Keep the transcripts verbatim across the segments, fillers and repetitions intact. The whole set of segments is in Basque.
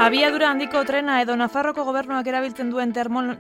Abiadura handiko trena edo Nafarroko gobernuak erabiltzen duen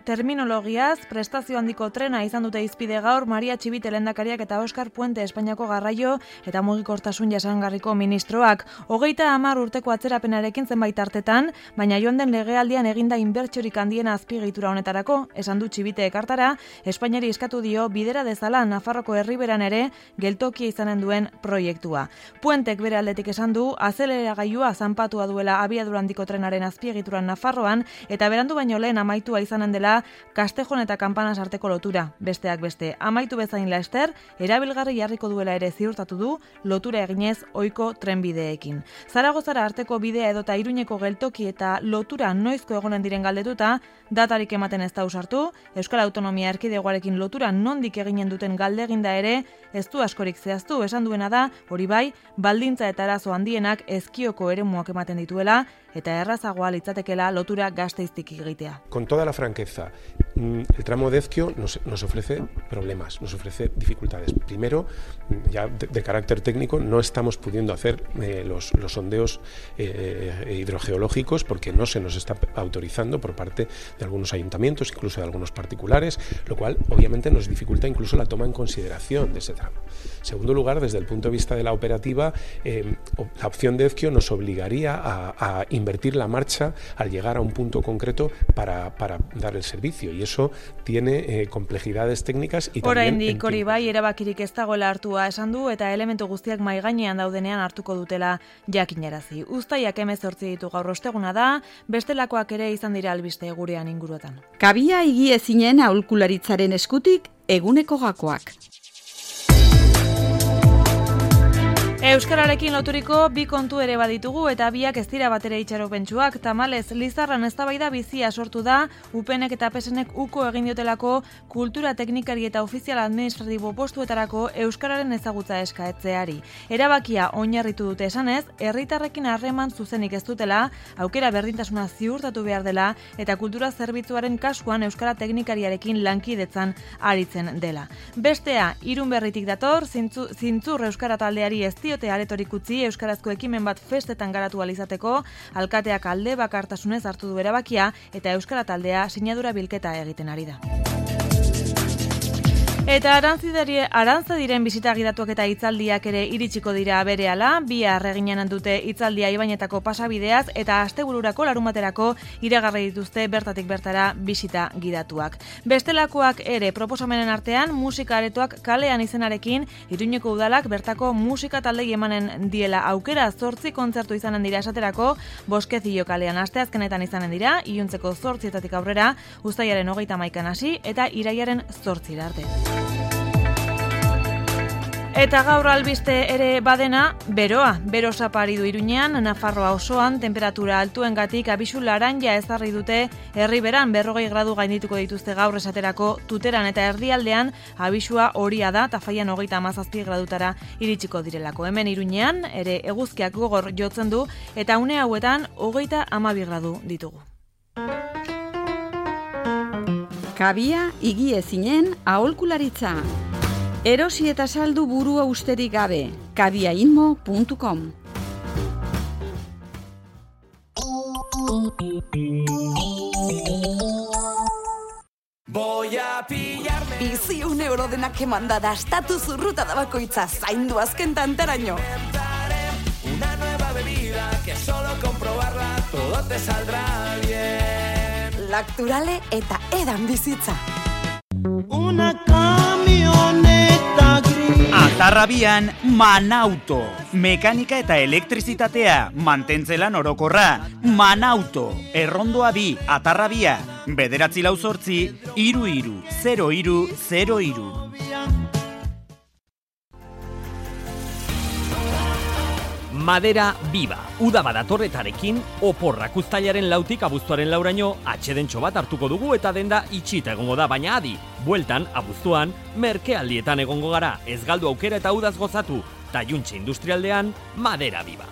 terminologiaz, prestazio handiko trena izan dute hizpide gaur Maria Txibite lehendakariak eta Oskar Puente Espainiako garraio eta mugikortasun jasangarriko ministroak. Hogeita hamar urteko atzerapenarekin zenbait artetan, baina joan den legealdian eginda inbertsiorik handiena azpiegitura honetarako, esan du Txibite ekartara, Espainiari eskatu dio bidera dezala Nafarroko herriberan ere geltokia izanen duen proiektua. Puentek bere aldetik esan du, azeleragailua zanpatua duela abiadura handiko trena azpiegituran Nafarroan, eta berandu baino lehen amaitua izanen dela Castejon eta Kanpanas arteko lotura. Besteak beste, amaitu bezain laster, erabilgarri jarriko duela ere ziurtatu du, lotura eginez ohiko trenbideekin. Zaragozara arteko bidea edota Iruñeko geltoki eta lotura noizko egonen diren galdetuta, datarik ematen ez da usartu, Euskal Autonomia Erkidegoarekin lotura nondik eginen duten galdeginda ere, ez du askorik zehaztu, esan duena da, hori bai, baldintza eta arazo handienak ezkioko eremuak ematen dituela, eta errazagoa litzatekeela lotura Gasteiztik egitea. Con toda la franqueza, el tramo de Ezkio nos, nos ofrece problemas, nos ofrece dificultades. Primero, ya de, de carácter técnico, no estamos pudiendo hacer eh, los, los sondeos eh, hidrogeológicos porque no se nos está autorizando por parte de algunos ayuntamientos, incluso de algunos particulares, lo cual obviamente nos dificulta incluso la toma en consideración de ese tramo. En segundo lugar, desde el punto de vista de la operativa, eh, la opción de Ezkio nos obligaría a, a invertir la marcha al llegar a un punto concreto para, para dar el servicio, y eso tiene eh, complejidades técnicas y también... Oraindik hori bai erabakirik ez dagoela hartua esan du eta elementu guztiak mahai gainean daudenean hartuko dutela jakinarazi. Uztaiak hemezortzi ditu gaur osteguna da, bestelakoak ere izan dira albiste gurean inguruetan. Kabia higiezinen aholkularitzaren eskutik eguneko gakoak. Euskararekin loturiko bi kontu ere baditugu eta biak ez dira batere itxaropentsuak. Tamalez, Lizarran eztabaida bizia sortu da, UPNek eta PSNek uko egin diotelako kultura teknikari eta ofizial administratibo postuetarako euskararen ezagutza eskaetzeari. Erabakia oinarritu dute esanez, herritarrekin harreman zuzenik ez dutela, aukera berdintasuna ziurtatu behar dela eta kultura zerbitzuaren kasuan euskara teknikariarekin lankidetzan aritzen dela. Bestea, Irun Berritik dator, zintzu, zintzur euskara taldeari ez diote aretorik utzi euskarazko ekimen bat festetan garatu alizateko, alkateak alde bakartasunez hartu du erabakia eta euskara taldea sinadura bilketa egiten ari da. Eta arantza diren bisita gidatuak eta hitzaldiak ere iritsiko dira berehala, bihar eginen dute hitzaldia Ibainetako pasabideaz eta astebururako larumaterako iragarri dituzte bertatik bertara bisita gidatuak. Bestelakoak ere proposamenen artean musika aretoak kalean izenarekin Iruñeko udalak bertako musika taldei emanen diela aukera zortzi kontzertu izanen dira esaterako, Boskezio kalean asteazkenetan izanen dira, iluntzeko zortzietatik aurrera, uztailaren hogeita hamaikan hasi eta irailaren zortzira arte. Eta gaur albiste ere badena, beroa. Bero sapari du Iruñean, Nafarroa osoan, temperatura altuengatik abisu laranja ezarri dute herriberan berrogei gradu gaindituko dituzte gaur esaterako Tuteran eta erdialdean abisua horia da, Tafaian hogeita hamazazpi gradutara iritsiko direlako. Hemen Iruñean, ere eguzkiak gogor jotzen du, eta une hauetan hogeita hamabi gradu ditugu. Kabia higiezinen aholkularitza. Erosi eta saldu burua usterik gabe. kabiainmo puntu com. Bizi un euro denak emanda da estatu zurruta da bakoitza zaindu azken tantaraino. Una nueva bebida que solo comprobarla todo te saldrá bien. Lacturale eta edan bizitza. Una camioneta gris. Atarrabian Manauto. Mekanika eta elektrizitatea, mantentzelan orokorra. Manauto. Errondoa bi, Atarrabia. Bederatzi lau zortzi, iru iru, zero iru, zero iru. Madera Viva. Uda badatorretarekin, oporrak uztailaren lautik abuztuaren lauraino atxedentxo bat hartuko dugu eta denda itxita egongo da, baina adi. Bueltan, abuztuan, merkealdietan egongo gara, ez galdu aukera eta udaz gozatu. Taiuntxe industrialdean, Madera Viva.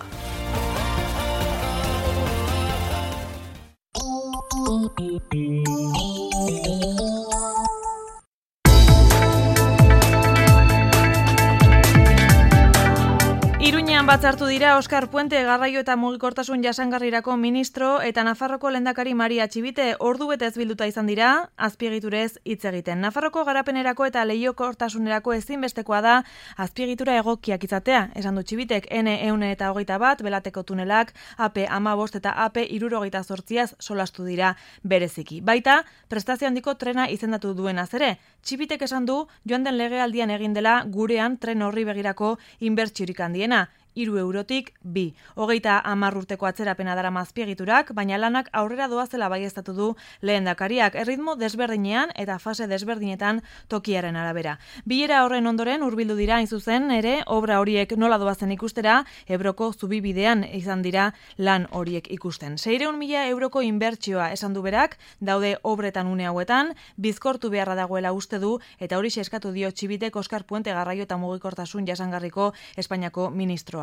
batzartu dira Oskar Puente garraio eta mugikortasun jasangarrirako ministro eta Nafarroko lehendakari Maria Txibite ordu betez bilduta izan dira azpiegiturez hitz egiten. Nafarroko garapenerako eta lehiakortasunerako ezinbestekoa da azpiegitura egokiak izatea. Esan du Txibitek N ehun eta hogeita bat belateko tunelak A P hamabost eta A P hirurogeita zortziaz solastu dira bereziki. Baita prestazio handiko trena izendatu duenaz ere. Txibitek esan du joan den legealdian egin dela gurean tren horri begirako inbertsiorik handiena. Hiru eurotik bi. Hogeita hamar urteko atzerapena darama azpiegiturak, baina lanak aurrera doazela baieztatu du lehendakariak erritmo desberdinean eta fase desberdinetan tokiaren arabera. Bilera horren ondoren hurbildu dira hain zuzen ere obra horiek nola doazen ikustera, Ebroko zubibidean izan dira lan horiek ikusten. Seireun mila euroko inbertsioa esan du berak, daude obretan une hauetan, bizkortu beharra dagoela uste du eta hori eskatu dio Txibitek Oskar Puente garraio eta mugikortasun jasangarriko Espainiako ministro.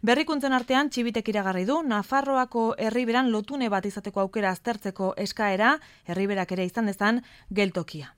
Berrikuntzen artean Txibitek iragarri du Nafarroako herriberan lotune bat izateko aukera aztertzeko eskaera, herriberak ere izan dezan geltokia.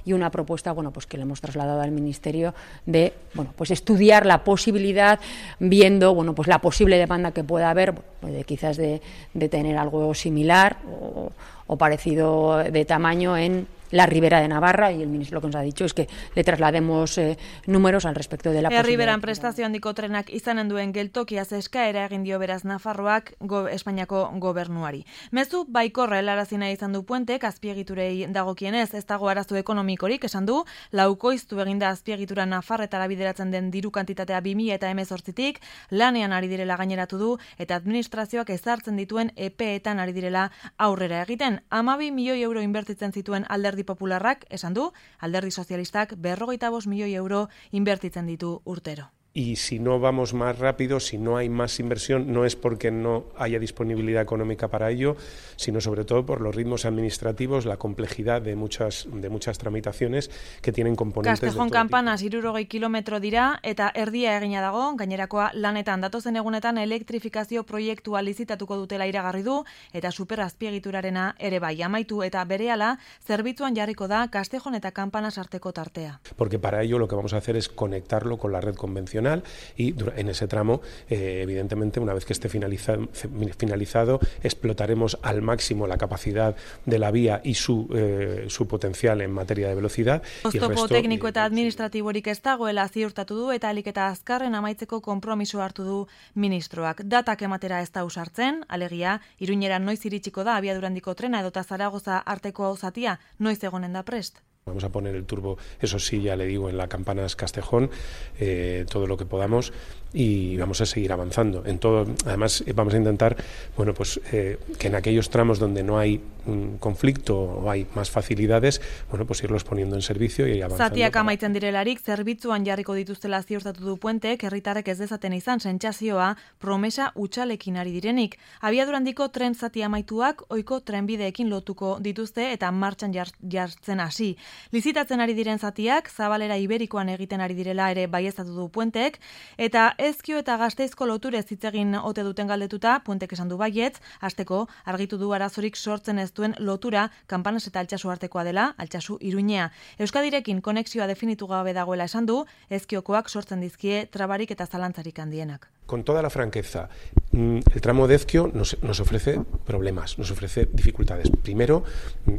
Y una propuesta, bueno, pues que le hemos trasladado al Ministerio de, bueno, pues estudiar la posibilidad, viendo, bueno, pues la posible demanda que pueda haber, pues de quizás de, de tener algo similar o, o parecido de tamaño en la Ribera de Navarra, y el ministro lo que nos ha dicho es que le traslademos eh, números al respecto de la posibilidad. Herriberan prestazio handiko trenak izanen duen geltokiaz eskaera egin dio beraz Nafarroak go, Espainiako gobernuari. Mezu baikorra helarazina izan du Puentek azpiegiturei dagokienez, ez dago arazo ekonomikorik, esan du, laukoiztu eginda azpiegitura Nafarretara bideratzen den diru kantitatea bi mila hemezortzitik, lanean ari direla gaineratu du eta administrazioak ezartzen dituen epeetan ari direla aurrera egiten. hamabi milioi euro inbertitzen zituen Alderdi Popularrak, esan du, Alderdi Sozialistak berrogeita bost milioi euro inbertitzen ditu urtero. Y si no vamos más rápido, si no hay más inversión, no es porque no haya disponibilidad económica para ello, sino sobre todo por los ritmos administrativos, la complejidad de muchas de muchas tramitaciones que tienen componentes de todo tipo. Castejón Kanpanas hirurogei kilometro dira eta erdia egina dago, gainerakoa lanetan datozen egunetan elektrifikazio proiektua lizitatuko dutela iragarri du eta superazpiegiturarena ere bai amaitu eta berehala zerbitzuan jarriko da Castejón eta Kanpanas arteko tartea. Porque para ello lo que vamos a hacer es conectarlo con la red convencional y en ese tramo, eh, evidentemente, una vez que esté finalizado, finalizado, explotaremos al máximo la capacidad de la vía y su, eh, su potencial en materia de velocidad. Oztopo tekniko eta administratiborik ez dagoela ziurtatu du eta alik eta azkarren amaitzeko konpromiso hartu du ministroak. Datak ematera ez da usartzen, alegia, Iruñera noiz iritsiko da abiadurandiko trena edota Zaragoza arteko zatia, noiz egonen da prest. Vamos a poner el turbo, eso sí, ya le digo, en la Campanas Castejón, eh, todo lo que podamos, y vamos a seguir avanzando. En todo, además, vamos a intentar, bueno, pues eh, que en aquellos tramos donde no hay un conflicto o hay más facilidades, bueno, pues irlos poniendo en servicio y avanzando. Zatiak amaitzen direlarik, zerbitzuan jarriko dituztela ziurtatu du Puentek, herritarrek ez dezaten izan sentsazioa promesa hutsalekin ari direnik. Abiadurandiko tren zati amaituak ohiko trenbideekin lotuko dituzte eta martxan jar, jartzen hasi. Lizitatzen ari diren zatiak, Zabalera Iberikoan egiten ari direla ere baieztatu du Puentek, eta Ezkio eta Gasteizko loturez hitz egin ote duten galdetuta, Puentek esan du baietz, hasteko argitu du arazorik sortzen ez duen lotura Kanpanas eta Altsasu artekoa dela, Altsasu Iruñea. Euskadirekin konexioa definitu gabe dagoela esan du, Ezkiokoak sortzen dizkie trabarik eta zalantzarik handienak. Con toda la franqueza, el tramo de Ezkio nos, nos ofrece problemas, nos ofrece dificultades. Primero,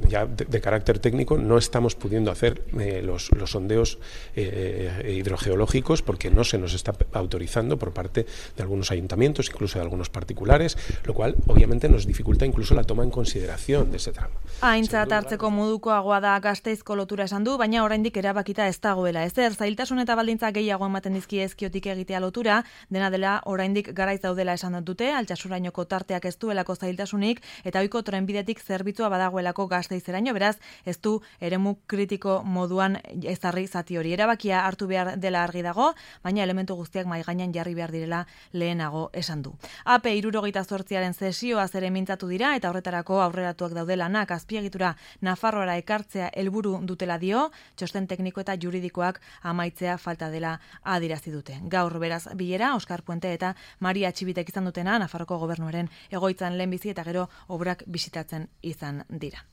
ya de, de carácter técnico, no estamos pudiendo hacer eh, los, los sondeos eh, hidrogeológicos porque no se nos está autorizando por parte de algunos ayuntamientos, incluso de algunos particulares, lo cual obviamente nos dificulta incluso la toma en consideración de ese tramo. Aintzat hartzeko modukoagoa da Gasteizko lotura esan du, baina oraindik erabakita ez dagoela ezer. Zailtasun eta baldintza gehiago ematen dizki Ezkiotik egitea lotura, dena dela oraindik garaiz daudela esan dute, Altsasurainoko tarteak ez duelako zailtasunik eta ohiko trenbidetik zerbitzua badagoelako Gasteizeraino, beraz ez du eremu kritiko moduan ezarri zati hori. Erabakia hartu behar dela argi dago, baina elementu guztiak mahai gainean jarri behar direla lehenago esan du. A P hirurogeita zortziaren zesioaz ere mintzatu dira eta horretarako aurreratuak daude lanak azpiegitura Nafarroara ekartzea helburu dutela dio, txosten tekniko eta juridikoak amaitzea falta dela adierazi dute. Gaur beraz bilera Oskar Puente Puente eta Maria Txibitek izan dutena, Nafarroko gobernuaren egoitzan lehenbizi eta gero obrak bisitatzen izan dira.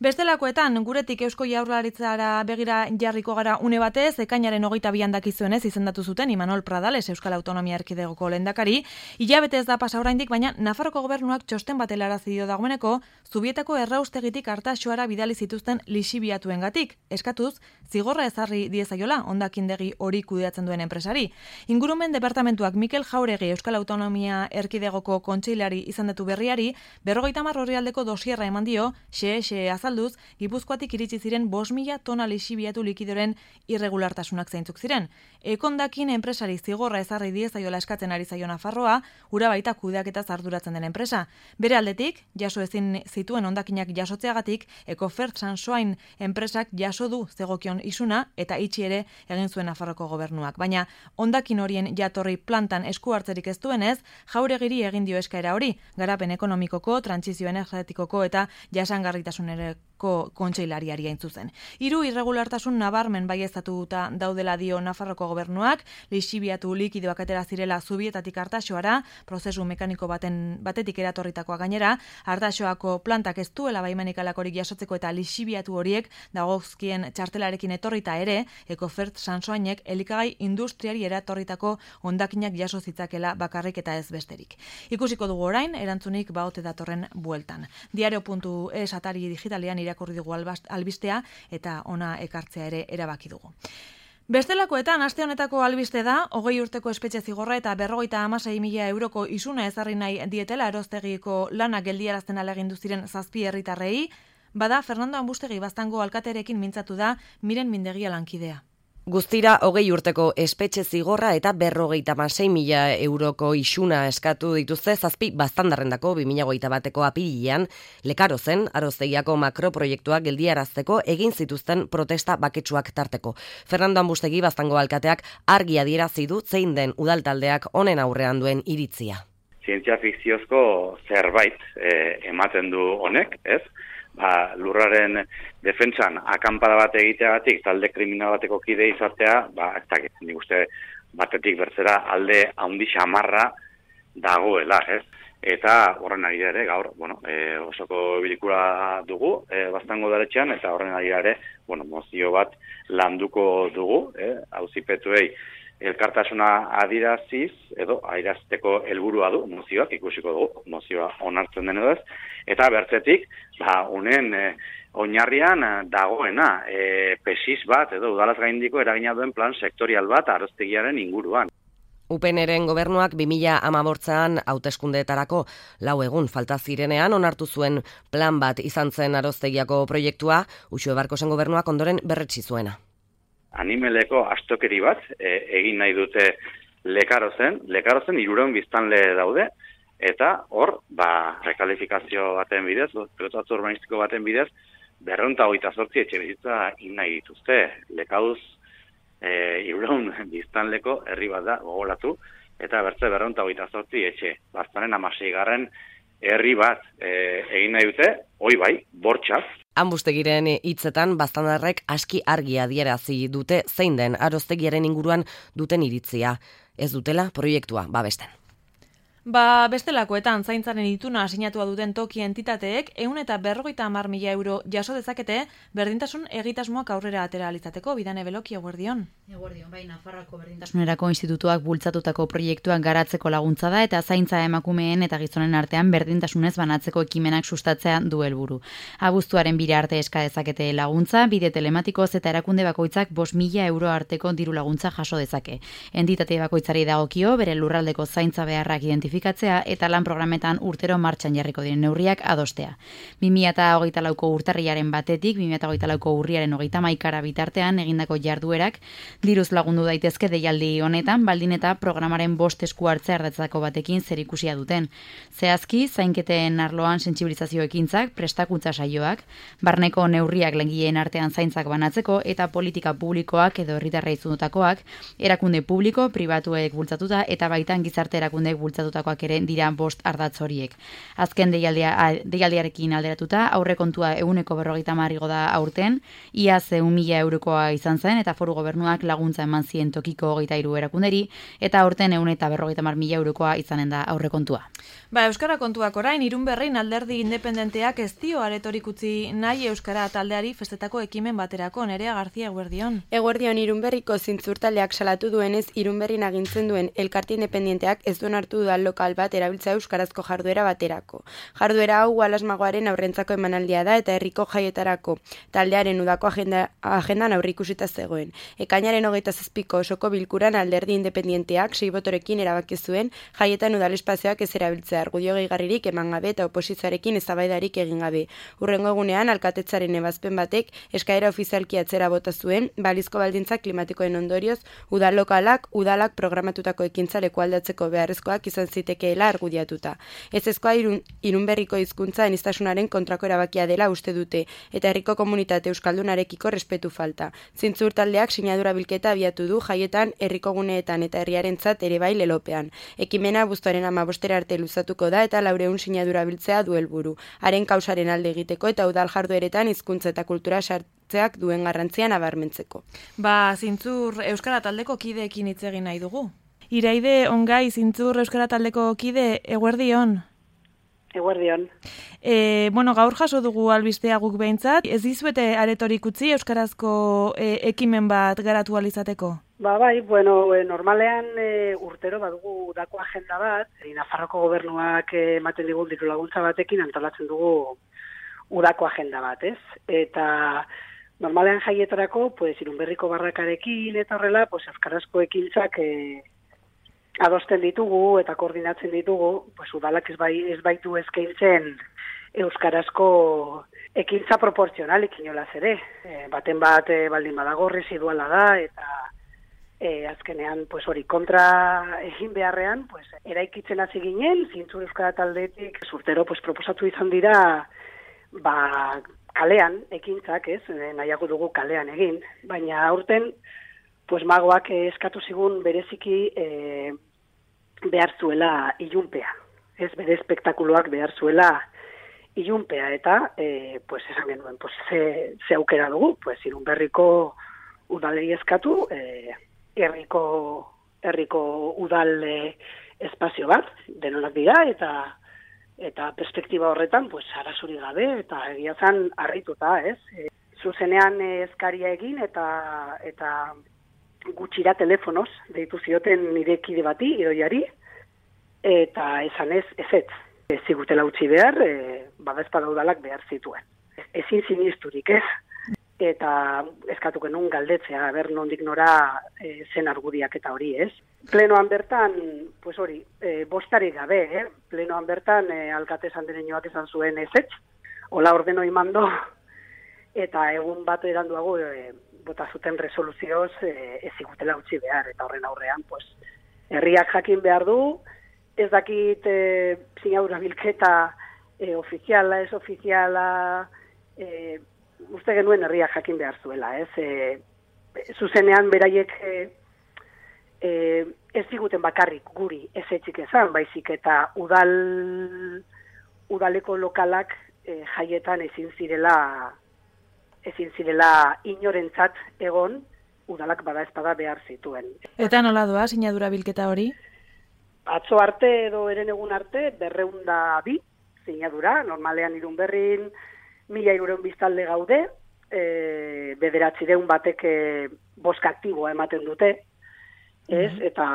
Bestelakoetan, guretik Eusko Jaurlaritzara begira jarriko gara une batez, ekainaren hogeita bian dakizuenez izendatu zuten Imanol Pradales Euskal Autonomia Erkidegoko lehendakari, hilabete ez da pasa oraindik, baina Nafarroko gobernuak txosten bat helarazi dio dagoeneko, Zubietako erraustegitik Artaxoara bidali zituzten lixibiatuengatik, eskatuz zigorra ezarri diezaiola hondakindegi hori kudeatzen duen enpresari. Ingurumen departamentuak Mikel Jauregi Euskal Autonomia Erkidegoko kontseilari izendatu berriari, berrogeita hamar orrialdeko dosierra eman dio, xe-xe azalduz, Gipuzkoatik iritsi ziren bost mila tona lixibiatu likidoren irregulartasunak zeintzuk ziren. Ekondakin enpresari zigorra ezarri diezaiola eskatzen ari zaio Nafarroa, ura baita kudeaketaz arduratzen den enpresa. Bere aldetik, jaso ezin zituen hondakinak jasotzeagatik, Ecofert Sansoain enpresak jaso du zegokion isuna eta itxi ere egin zuen Nafarroko gobernuak. Baina hondakin horien jatorri plantan esku hartzerik ez duenez, Jauregiri egin dio eskaera hori, garapen ekonomikoko, trantsizio energetikoko eta jasangarritasunerako kontseilariari hain zuzen. Hiru irregulartasun nabarmen baieztatuta daudela dio Nafarroko gobernuak, lixibiatu likidoak atera zirela Zubietatik Artaxoara, prozesu mekaniko baten batetik eratorritakoa gainera, Artaxoako plantak ez duela baimenik alakorik jasotzeko eta lixibiatu horiek dagozkien txartelarekin etorrita ere, Ecofert Sansoainek elikagai industriari eratorritako hondakinak jaso zitzakela bakarrik eta ez besterik. Ikusiko dugu orain, erantzunik baote datorren bueltan. Diario puntu es atari digitalean irakurri dugu albistea eta ona ekartzea ere erabaki dugu. Bestelakoetan, aste honetako albiste da, hogei urteko espetxe zigorra eta berrogeita hamasei mila euroko isuna ezarri nahi dietela erostegiko lanak geldiarazten alegindu ziren zazpi herritarrei, bada Fernando Ambustegi Baztango alkaterekin mintzatu da Miren Mindegia lankidea. Guztira, hogei urteko espetxe zigorra eta berrogeita hamasei mila euroko isuna eskatu dituzte zazpi baztandarrendako bi mila hogeita bateko apirilean, Lekarozen, Aroztegiako makroproiektuak geldiarazteko egin zituzten protesta baketsuak tarteko. Fernando Ambustegi Baztango alkateak argi adierazi du zein den udaltaldeak honen aurrean duen iritzia. Zientzia fikziozko zerbait eh, ematen du honek, ez? Ba, lurraren defentsan akanpada bat egiteagatik talde kriminal bateko kide izatea, ba, ez dakit, nik uste batetik bertzera alde handi xamarra dagoela, ez? Eta horren ari ere, gaur, bueno, e, osoko bilikura dugu, e, Baztango udaletxean, eta horren ari ere, bueno, mozio bat landuko dugu, e, auzipetuei elkartasuna adiraziz, edo adierazteko helburua du, mozioak ikusiko dugu, mozioa onartzen den edo ez, eta bertzetik, ba, unen e, oinarrian dagoena, e, pesis bat, edo udalaz gaindiko eragina duen plan sektorial bat aroztegiaren inguruan. U P N-ren gobernuak bi mila hamabostean hauteskundeetarako lau egun falta zirenean onartu zuen plan bat izan zen Aroztegiako proiektua, Uxue Barkosen gobernuak ondoren berretsi zuena. Animeleko astokeri bat e, egin nahi dute Lekarozen, Lekarozen hirurehun biztanle daude, eta hor, ba, rekalifikazio baten bidez, pilotatzu urbanistiko baten bidez, berrehun eta hogeita zortzi etxe bizitza egin nahi dituzte. Lekauz e, hirurehun biztanleko herri bat da gogoratu, eta bertze berrehun eta hogeita zortzi etxe. Baztanen hamaseigarren herri bat e, egin nahi dute, hoi bai, bortxaz. Ambustegiren hitzetan baztandarrek aski argi adierazi dute zein den Aroztegiaren inguruan duten iritzia. Ez dutela proiektua babesten. Ba, bestelakoetan zaintzaren ituna sinatua duten toki entitateek ehun eta berrogeita hamar mila euro jaso dezakete berdintasun egitasmoak aurrera atera alizateko. Bidane Beloki, eguerdion. Eguerdion, bai, Nafarroako Berdintasunerako Institutuak bultzatutako proiektuak garatzeko laguntza da eta zaintza emakumeen eta gizonen artean berdintasunez banatzeko ekimenak sustatzea du helburu. Abuztuaren bira arte eska dezakete laguntza, bide telematikoz eta erakunde bakoitzak bost mila euro arteko diru laguntza jaso dezake. Entitate bakoitzari dagokio bere lurraldeko zaintza beharrak identifikatzea eta lan programetan urtero martxan jarriko diren neurriak adostea. bi mila hogeita lauko urtarrilaren batetik, bi mila hogeita lauko urriaren hogeita hamaikara bitartean egindako jarduerak diruz lagundu daitezke deialdi honetan, baldin eta programaren bost esku hartzea ardatzako batekin zerikusia duten. Zehazki, zainketen arloan sentsibilizazio ekintzak, prestakuntza saioak, barneko neurriak langileen artean zaintzak banatzeko eta politika publikoak edo herritarrei zundutakoak, erakunde publiko, pribatuek bultzatuta eta baitan gizarte erakundeek bultzatutako aipatutakoak ere dira bost ardatz horiek. Azken deialdia, deialdiarekin alderatuta, aurrekontua ehuneko berrogeita hamar igo da aurten, iaz ehun mila eurokoa izan zen, eta foru gobernuak laguntza eman zien tokiko hogeita hiru erakunderi, eta aurten ehun eta berrogeita hamar mila eurokoa izanen da aurrekontua. Ba, Euskara kontuak orain, Irunberrin alderdi independenteak ez dio aretorik utzi nahi Euskara taldeari festetako ekimen baterako. Nerea Garzia, eguerdion. Eguerdion, Irunberriko zintzurtaldeak salatu duenez, Irunberrin agintzen duen elkarte independenteak ez duen hartu dudan lokal bat erabiltza euskarazko jarduera baterako. Jarduera hau Gualasmagoaren aurrentzako emanaldia da eta herriko jaietarako taldearen udako agenda, agendan aurreikusita zegoen. Ekainaren hogeita zazpiko osoko bilkuran alderdi independenteak sei botorekin erabaki zuen jaietan udal espazioak ez erabiltzea argudio gehigarririk eman gabe eta oposizioarekin eztabaidarik egin gabe. Hurrengo egunean alkatetzaren ebazpen batek eskaera ofizialki atzera bota zuen balizko baldintzak klimatikoen ondorioz udal lokalak udalak programatutako ekintza lekualdatzeko beharrezkoak izan zitekeela argudiatuta. Ezezkoa irun, Irunberriko hizkuntza aniztasunaren kontrako erabakia dela uste dute eta herriko komunitate euskaldunarekiko respetu falta. Zintzur taldeak sinadura bilketa abiatu du jaietan herriko guneetan eta herriarentzat ere bai lelopean. Ekimena abuztuaren hamabostera arte luzatuko da eta laureun sinadura biltzea du helburu. Haren kausaren alde egiteko eta udal jardueretan hizkuntza eta kultura sartzeak duen garrantzia nabarmentzeko. Ba, Zintzur Euskara taldeko kideekin hitz egin nahi dugu. Iraide Ongai, Zintzur Euskara taldeko kide, eguerdion. Eguerdion. E, bueno, gaur jaso dugu albistea guk behintzat. Ez dizuete aretorik utzi euskarazko e, ekimen bat garatu alizateko? Ba, bai, bueno, e, normalean e, urtero badugu udako agenda bat, e, Nafarroko gobernuak ematen digun diru laguntza batekin antolatzen dugu udako agenda bat, ez? Eta normalean jaietarako, pues, Irunberriko barrakarekin eta horrela, pues, euskarazko ekintzak e, adosten ditugu eta koordinatzen ditugu, pues, udalak ez, bai, ez baitu eskaintzen euskarazko ekintza proporzionalik inolaz ere. E, baten bat e, baldin badago residuala da eta e, azkenean pues, hori kontra egin beharrean pues, eraikitzen hasi ginen, Zintzur Euskara taldetik zurtero pues, proposatu izan dira ba, kalean ekintzak, ez, nahiago dugu kalean egin, baina aurten pues, magoak eskatu zigun bereziki e, behar zuela ilunpea. Ez bere espektakuloak behar zuela ilunpea eta e, pues, esan genuen pues, ze, ze aukera dugu, pues, Irunberriko udaleri eskatu, e, herriko, herriko udal e, espazio bat, denonak dira, eta eta perspektiba horretan, pues, arazuri gabe, eta egia zan harrituta, ez? E, zuzenean eskaria egin, eta eta gutxira telefonoz, deitu zioten nire kide bati, idoiari, eta esan ez, ezetz. Ez zigutela utzi behar, e, badazpada udalak behar zituen. Ezin sinisturik, ez? Eta eskatuken nun galdetzea, ber nondik nora e, zen argudiak eta hori, ez? Plenoan bertan, pues hori, e, bostarik gabe, eh? Plenoan bertan e, alkate sandereñoak esan zuen ezetz, hola ordeno imando, eta egun bat eranduago e, bota zuten resoluzioz e, ez zigutela utzi behar, eta horren aurrean, pues, herriak jakin behar du, ez dakit e, sinadura bilketa e, ofiziala, ez ofiziala, e, uste genuen herriak jakin behar zuela, ez? E, zuzenean beraiek e, e, ez ziguten bakarrik guri ez etxik ezan, baizik eta udal, udaleko lokalak e, jaietan ezin zirela ezin zirela inorentzat egon, udalak bada ezpada behar zituen. Eta nola doa sinadura bilketa hori? Atzo arte edo eren egun arte, berreunda bi sinadura, normalean Irunberrin mila irureun biztalde gaude, e, bederatzireun batek e, boska aktiboa ematen dute, ez? Mm-hmm. Eta,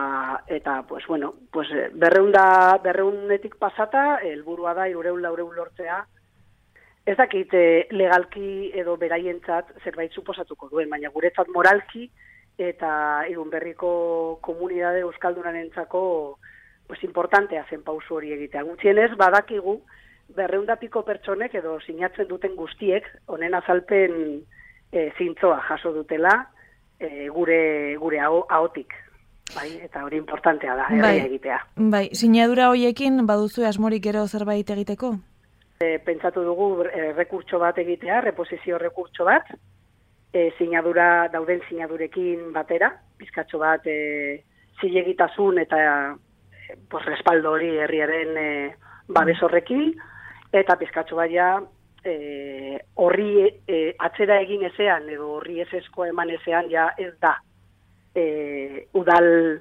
eta pues, bueno, pues, berreunda, berreunetik pasata, helburua da irureun laureun lortzea, ez dakit e, legalki edo beraientzat zerbait suposatuko duen, baina guretzat moralki eta Irunberriko komunidade euskaldunarentzako pues, importantea zen pausu hori egitea. Gutxienez, badakigu, berreunda piko pertsonek edo sinatzen duten guztiek, honen azalpen e, zintzoa jaso dutela e, gure, gure ahotik. Bai, eta hori importantea da, herria bai, egitea. Bai, sinadura hoiekin baduzu asmorik gero zerbait egiteko? E, pentsatu dugu e, rekurtso bat egitea, reposizio rekurtso bat, e, sinadura, dauden sinadurekin batera, bizkatxo bat e, zilegitasun eta pues, respaldo hori herriaren e, babes horrekin, eta pizkatxo baia e, horri e, atzera egin ezean, edo horri ez esko eman ezean, ja ez da e, udal,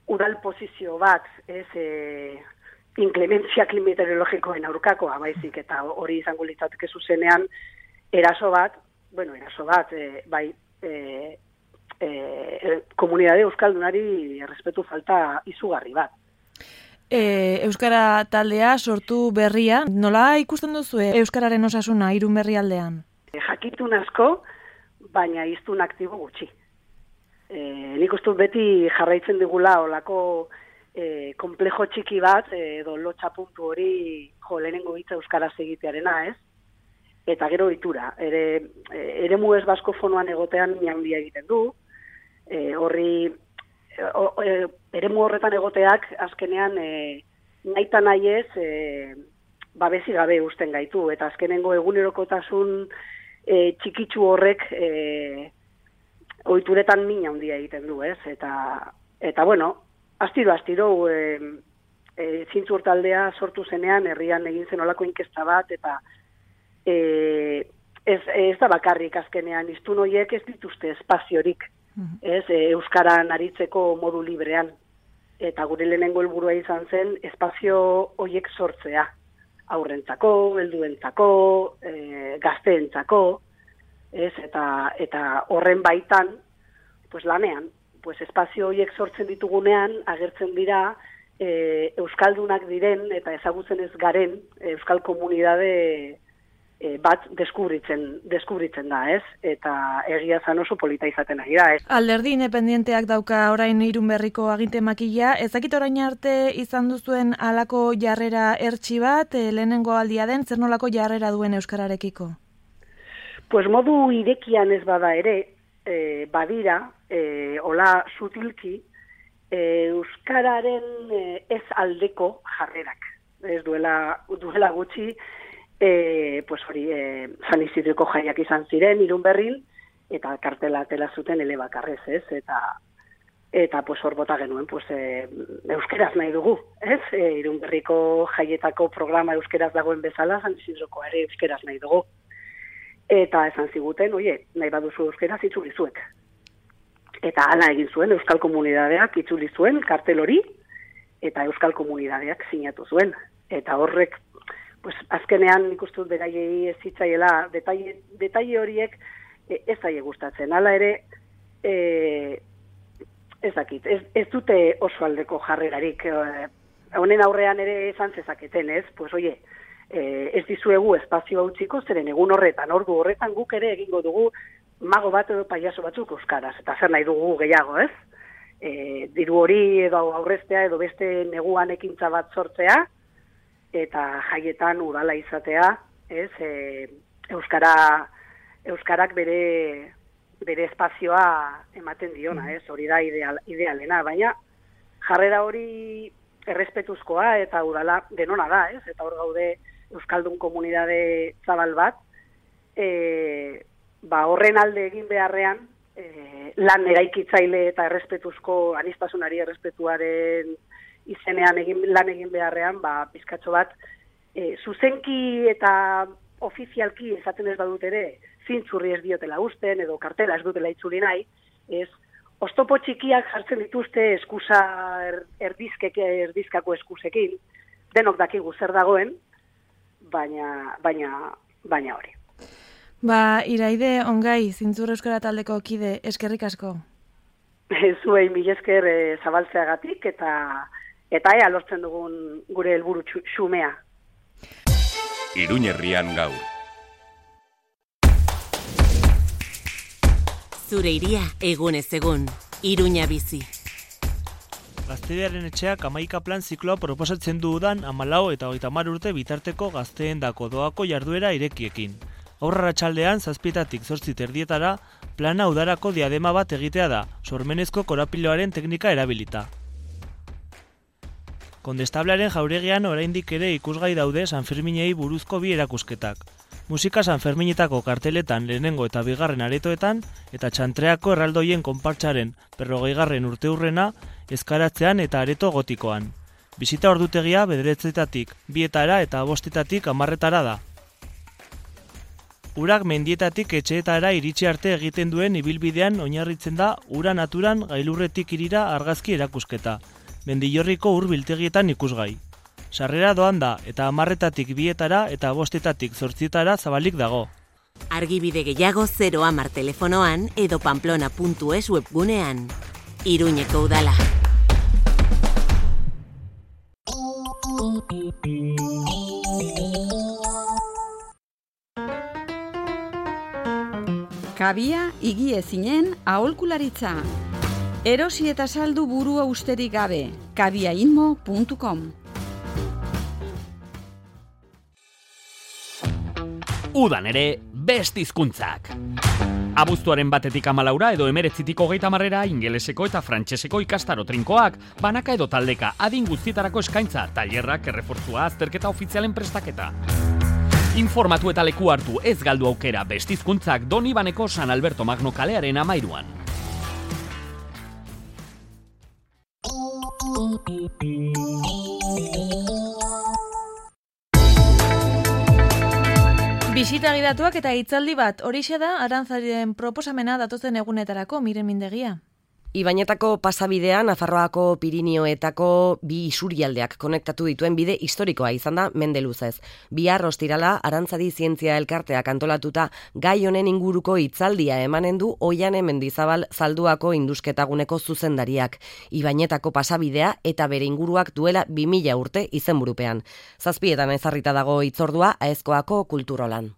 udal posizio bat, ez e, inklementzia meteorologikoen aurkakoa, baizik, eta hori izango litzateke zuzenean eraso bat, bueno, eraso bat, e, bai, e, e, komunidade euskaldunari errespetu falta izugarri bat. E, Euskara taldea sortu berria, nola ikusten duzu Euskararen osasuna Irun Berri aldean? E, jakitun asko, baina iztun aktibo gutxi. E, nik uste beti jarraitzen digula olako E, komplejo txiki bat, edo lotxa puntu hori jo, lehenengo hitza euskaraz egitearena, ez? Eta gero ohitura, ere, ere mu ez baskofonoan egotean handia egiten du, e, horri, o, e, ere mu horretan egoteak azkenean e, naita nahi ez, e, babesi gabe usten gaitu, eta azkenengo egunerokotasun e, txikitsu horrek e, ohituretan min handia egiten du, ez? Eta, eta bueno, Astiro, astiro, e, e, zintzur taldea sortu zenean, herrian egin zen olako inkesta bat, eta e, ez, ez da bakarrik azkenean, iztun horiek ez dituzte espaziorik, mm-hmm. ez, e, euskaran aritzeko modu librean, eta gure lehenengo helburua izan zen, espazio horiek sortzea, aurrentzako, helduentzako, e, gazteentzako, ez, eta, eta horren baitan, pues lanean, pues espazio horiek sortzen ditugunean, agertzen dira e, euskaldunak diren eta ezagutzen ez garen euskal komunidade e, bat deskubritzen, deskubritzen da, ez? Eta egia zan oso polita izaten ari da, ez? Alderdi independenteak dauka orain Irun Berriko aginte makila, ezakit orain arte izan duzuen halako jarrera ertsi bat, e, lehenengo aldia den, zer nolako jarrera duen euskararekiko? Pues modu irekian ez bada ere, E, badira, e, hola sutilki, e, euskararen e, ez aldeko jarrerak. Ez duela, duela gutxi, e, pues hori, e, San Isidroko jaiak izan ziren, Irun Berrin, eta kartela tela zuten elebakarrez, ez? Eta, eta pues hor bota genuen, pues, e, euskeraz nahi dugu, ez? E, Irun Berriko jaietako programa euskeraz dagoen bezala, San Isidroko ere euskeraz nahi dugu. Eta esan ziguten, oie, nahi baduzu euskaraz itzuli zuek. Eta hala egin zuen, euskal komunidadeak itzuli zuen, kartel hori, eta euskal komunidadeak sinatu zuen. Eta horrek, pues, azkenean nik uste dut beraiei ez zitzaiela, detaile, detaile horiek e, ez zaie gustatzen. Hala ere, e, ez dakit, ez, ez dute oso aldeko jarrerarik. E, honen aurrean ere esan zezaketen, ez? Pues, oie, Eh, ez dizuegu espazio utziko, zeren egun horretan, ordu horretan guk ere egingo dugu mago bat edo paiaso batzuk euskaraz, eta zer nahi dugu gehiago, ez? E, diru hori edo aurreztea edo beste neguan ekintza bat sortzea, eta jaietan udala izatea, ez? E, euskara, euskarak bere, bere espazioa ematen diona, ez? Hori da ideal, idealena, baina jarrera hori errespetuzkoa eta udala denona da, ez? Eta hor gaude euskaldun komunidade zabal bat, e, ba horren alde egin beharrean, e, lan eraikitzaile eta errespetuzko anistasunari errespetuaren izenean egin, lan egin beharrean, ba pizkatxo bat, e, zuzenki eta ofizialki esaten ez badut ere, zintzurri ez diotela usten, edo kartela ez dutela itzuli nahi, ez, oztopo txikiak jartzen dituzte eskusa er, erdizkek, erdizkako eskusekin, denok dakigu zer dagoen, baina, baina, baina hori. Ba, Iraide Ongai, Zintzur Euskara taldeko kide, eskerrik asko. Zuei mil esker e, zabaltzeagatik, eta eta ea lortzen dugun gure helburu xumea. Iruñerrian gaur. Zure iria egunez egun, Iruña bizi. Gaztediaren etxeak hamaika plan zikloa proposatzen du udan hamalau eta hogeita hamar urte bitarteko gazteen dako doako jarduera irekiekin. Aurrara txaldean, zazpietatik zortzi terdietara, plana udarako diadema bat egitea da, sormenezko korapiloaren teknika erabilita. Kondestablearen jauregian oraindik ere ikusgai daude Sanferminei buruzko bi erakusketak. Musika Sanferminetako karteletan lehenengo eta bigarren aretoetan, eta txantreako erraldoien konpartsaren berrogeigarren urteurrena, ezkaratzean eta areto gotikoan. Bisita ordutegia bederetzetatik, bietara eta bostetatik hamarretara da. Urak mendietatik etxeetara iritsi arte egiten duen ibilbidean oinarritzen da ura naturan gailurretik irira argazki erakusketa, Mendillorriko ur biltegietan ikusgai. Sarrera doan da eta hamarretatik bietara eta bostetatik zortzietara zabalik dago. Argibide gehiago zero hamar telefonoan edo pamplona puntu es webgunean. Iruñeko udala. Kabia higiezinen aholkularitza. Erosi eta saldu burua usterik gabe. kabiainmo puntu com. Udan ere, best hizkuntzak. Abuztuaren batetik amalaura edo emeretzitik hogeita marrera ingeleseko eta frantseseko ikastaro trinkoak, banaka edo taldeka adin guztietarako eskaintza, tailerrak, errefortzua, azterketa ofizialen prestaketa. Informatu eta leku hartu ez galdu aukera best hizkuntzak Donibaneko San Alberto Magno kalearen amairuan. Bisita gidatuak eta hitzaldi bat, horixe da Arantzaren proposamena datozen egunetarako, Miren Mindegia. Ibainetako pasabidea Nafarroako Pirinioetako bi isurialdeak konektatu dituen bide historikoa izan da mende luzez. Bihar ostirala Arantzadi Zientzia Elkarteak antolatuta gai honen inguruko hitzaldia emanen du Oiane Mendizabal Zalduako Indusketaguneko zuzendariak. Ibainetako pasabidea eta bere inguruak duela bi mila urte izenburupean. Zazpietan ezarrita dago hitzordua Aezkoako kulturolan.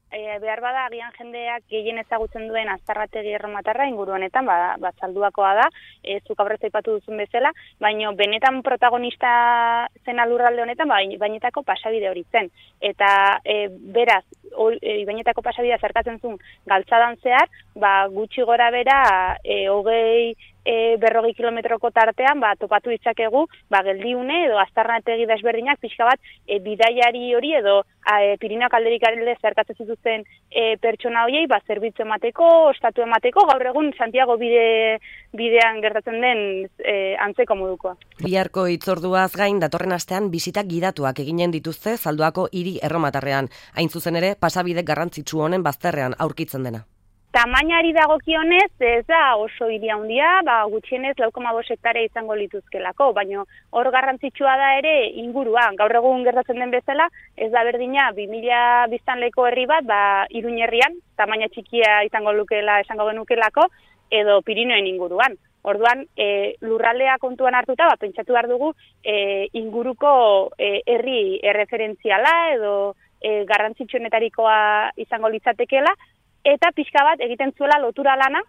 E, behar bada, agian jendeak gehien ezagutzen duen Aztarrategi erromatarra inguru honetan, ba, ba Zalduakoa da, e, zuk aurrez aipatu duzun bezala, baina benetan protagonista zen lurralde honetan, ba, Ibainetako pasabide hori zen. Eta e, beraz, o, e, Ibainetako pasabidea zerkatzen zuen galtzadan zehar, ba, gutxi gora bera, e, hogei e, berrogei kilometroko tartean, ba, topatu ditzakegu, ba, geldiune edo aztarnategi desberdinak pixka bat e, bidaiari hori edo e, Pirinioak alderik alde zerkatzen zituzten e, pertsona horiei, ba, zerbitzu emateko, ostatu emateko, gaur egun Santiago bide, bidean gertatzen den e, antzeko modukoa. Biharko hitzorduaz gain datorren astean bisita gidatuak eginen dituzte Zalduako hiri erromatarrean, hain zuzen ere pasabide garrantzitsu honen bazterrean aurkitzen dena. Tamainari dagokionez, ez da oso hiri handia, ba, gutxienez lau koma bost hektarea izango lituzkelako, baina hor garrantzitsua da ere inguruan. Gaur egun gertatzen den bezala, ez da berdina bi mila biztanleko herri bat, ba, Iruñ herrian, tamaina txikia izango lukela, esango genukelako, edo Pirinioen inguruan. Orduan, e, lurraldea kontuan hartuta, ba, pentsatu behar dugu e, inguruko e, herri erreferentziala edo e, garrantzitsuenetarikoa izango litzatekela, eta pixka bat egiten zuela lotura lana,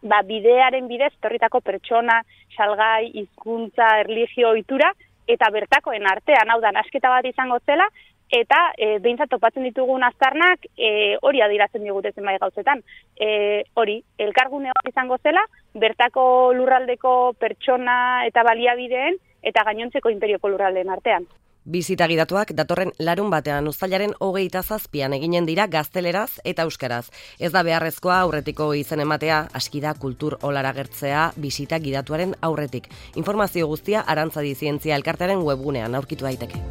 ba, bidearen bidez, torritako pertsona, salgai, hizkuntza, erlijio, ohitura, eta bertakoen artean, hau da, nasketa bat izango zela, eta e, behintzat topatzen ditugun aztarnak e, hori adiratzen digute zenbait gauzetan. E, hori, elkargune hori izango zela, bertako lurraldeko pertsona eta baliabideen, eta gainontzeko imperioko lurraldeen artean. Bisita gidatuak datorren larun batean uztailaren hogeita zazpian eginen dira gazteleraz eta euskaraz. Ez da beharrezkoa aurretiko izen ematea, aski da kultur olara gertzea bisita gidatuaren aurretik. Informazio guztia Arantzadi Zientzia Elkartearen webgunean aurkitu daiteke.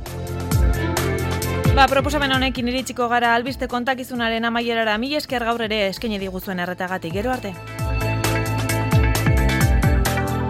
Ba, proposamen honekin iritsiko gara albiste kontakizunaren amaierara, mila esker gaur ere eskaini diguzuen erretagatik. Gero arte.